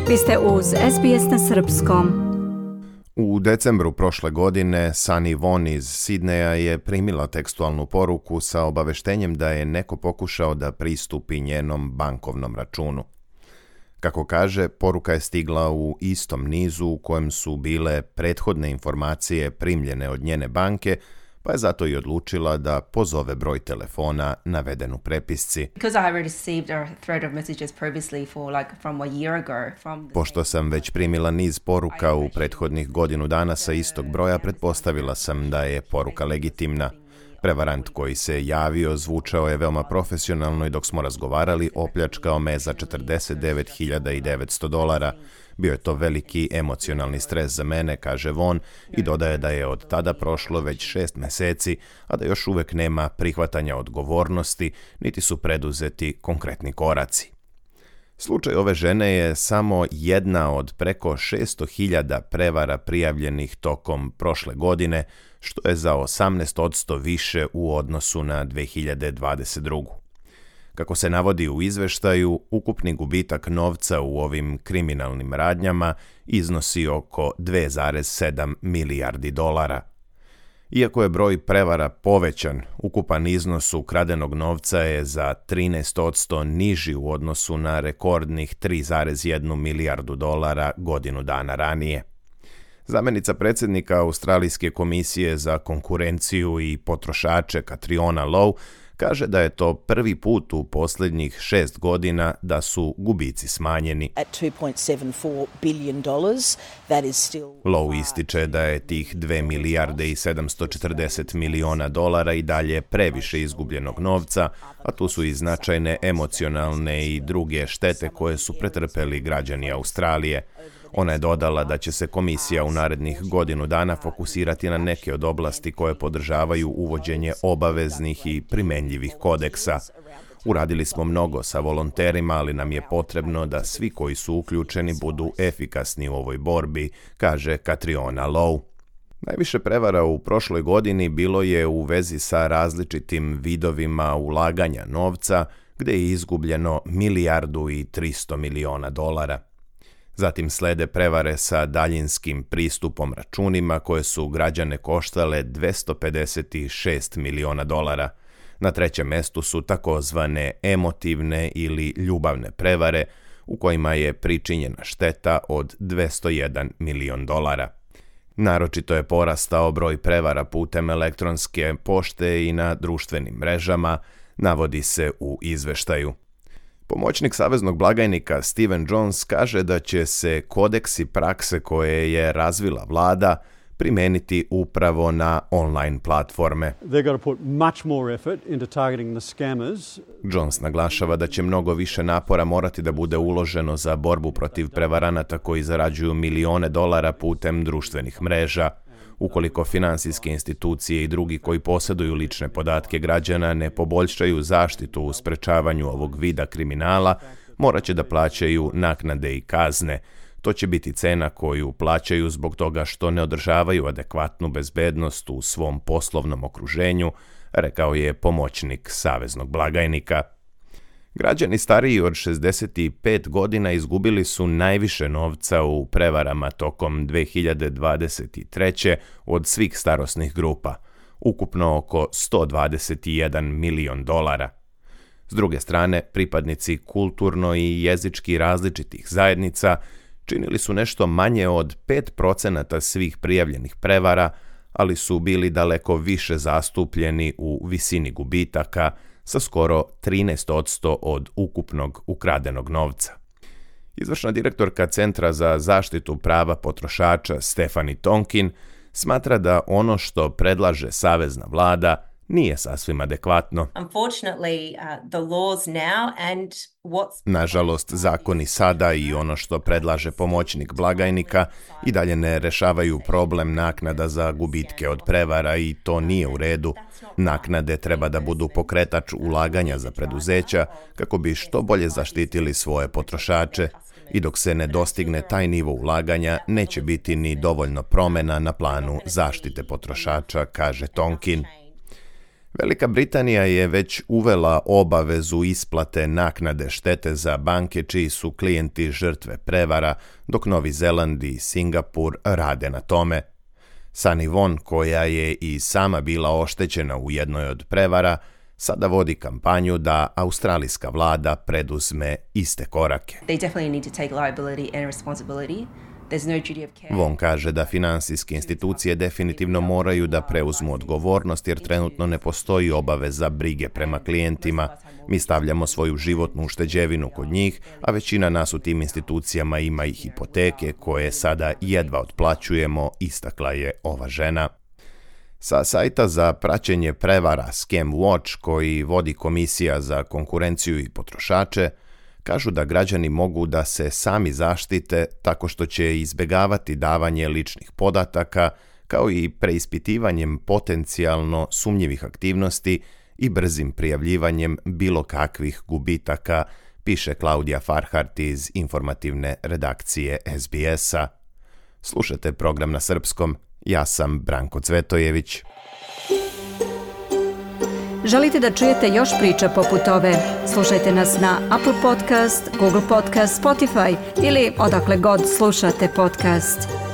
Vi ste uz SBS na srpskom. U decembru prošle godine Sunny Von iz Sidneja je primila tekstualnu poruku sa obaveštenjem da je neko pokušao da pristupi njenom bankovnom računu. Kako kaže, poruka je stigla u istom nizu u kojem su bile prethodne informacije primljene od njene banke, pa je zato i odlučila da pozove broj telefona naveden u prepisci. Pošto sam već primila niz poruka u prethodnih godinu dana sa istog broja, pretpostavila sam da je poruka legitimna. Prevarant koji se javio zvučao je veoma profesionalno i dok smo razgovarali opljačkao me za $49.900. Bio je to veliki emocionalni stres za mene, kaže Von, i dodaje da je od tada prošlo već 6 meseci, a da još uvek nema prihvatanja odgovornosti, niti su preduzeti konkretni koraci. Slučaj ove žene je samo jedna od preko 600.000 prevara prijavljenih tokom prošle godine, što je za 18% više u odnosu na 2022. Kako se navodi u izveštaju, ukupni gubitak novca u ovim kriminalnim radnjama iznosi oko $2,7 milijardi. Iako je broj prevara povećan, ukupan iznos ukradenog novca je za 13% niži u odnosu na rekordnih $3,1 milijardu godinu dana ranije. Zamenica predsjednika Australijske komisije za konkurenciju i potrošače Catriona Lowe kaže da je to prvi put u posljednjih 6 godina da su gubici smanjeni. Lowe ističe da je tih $2,740 miliona i dalje previše izgubljenog novca, a tu su i značajne emocionalne i druge štete koje su pretrpeli građani Australije. Ona je dodala da će se komisija u narednih godinu dana fokusirati na neke od oblasti koje podržavaju uvođenje obaveznih i primenjivih kodeksa. Uradili smo mnogo sa volonterima, ali nam je potrebno da svi koji su uključeni budu efikasni u ovoj borbi, kaže Catriona Lowe. Najviše prevara u prošloj godini bilo je u vezi sa različitim vidovima ulaganja novca, gde je izgubljeno $1,3 miliona. Zatim slede prevare sa daljinskim pristupom računima koje su građane koštale $256 miliona. Na trećem mestu su takozvane emotivne ili ljubavne prevare u kojima je pričinjena šteta od $201 milion. Naročito je porastao broj prevara putem elektronske pošte i na društvenim mrežama, navodi se u izveštaju. Pomoćnik saveznog blagajnika Steven Jones kaže da će se kodeksi prakse koje je razvila vlada primeniti upravo na online platforme. Jones naglašava da će mnogo više napora morati da bude uloženo za borbu protiv prevaranata koji zarađuju milione dolara putem društvenih mreža. Ukoliko finansijske institucije i drugi koji posjeduju lične podatke građana ne poboljšaju zaštitu u sprečavanju ovog vida kriminala, morat će da plaćaju naknade i kazne. To će biti cena koju plaćaju zbog toga što ne održavaju adekvatnu bezbednost u svom poslovnom okruženju, rekao je pomoćnik saveznog blagajnika. Građani stariji od 65 godina izgubili su najviše novca u prevarama tokom 2023. od svih starosnih grupa, ukupno oko $121 milion. S druge strane, pripadnici kulturno i jezički različitih zajednica činili su nešto manje od 5% svih prijavljenih prevara, ali su bili daleko više zastupljeni u visini gubitaka, sa skoro 13% od ukupnog ukradenog novca. Izvršna direktorka Centra za zaštitu prava potrošača Stephanie Tonkin smatra da ono što predlaže savezna vlada nije sasvim adekvatno. Nažalost, zakoni sada i ono što predlaže pomoćnik blagajnika i dalje ne rešavaju problem naknada za gubitke od prevara i to nije u redu. Naknade treba da budu pokretač ulaganja za preduzeća kako bi što bolje zaštitili svoje potrošače i dok se ne dostigne taj nivo ulaganja neće biti ni dovoljno promena na planu zaštite potrošača, kaže Tonkin. Velika Britanija je već uvela obavezu isplate naknade štete za banke čiji su klijenti žrtve prevara, dok Novi Zeland i Singapur rade na tome. Sunny Won, koja je i sama bila oštećena u jednoj od prevara, sada vodi kampanju da australijska vlada preduzme iste korake. Won kaže da financijske institucije definitivno moraju da preuzmu odgovornost jer trenutno ne postoji obaveza brige prema klijentima. Mi stavljamo svoju životnu ušteđevinu kod njih, a većina nas u tim institucijama ima i hipoteke koje sada jedva otplaćujemo, istakla je ova žena. Sa sajta za praćenje prevara Scam Watch, koji vodi Komisija za konkurenciju i potrošače, kažu da građani mogu da se sami zaštite tako što će izbjegavati davanje ličnih podataka, kao i preispitivanjem potencijalno sumnjivih aktivnosti i brzim prijavljivanjem bilo kakvih gubitaka, piše Klaudija Farhart iz informativne redakcije SBS-a. Slušajte program na srpskom, ja sam Branko Cvetojević. Želite da čujete još priča poput ove? Slušajte nas na Apple Podcast, Google Podcast, Spotify ili odakle god slušate podcast.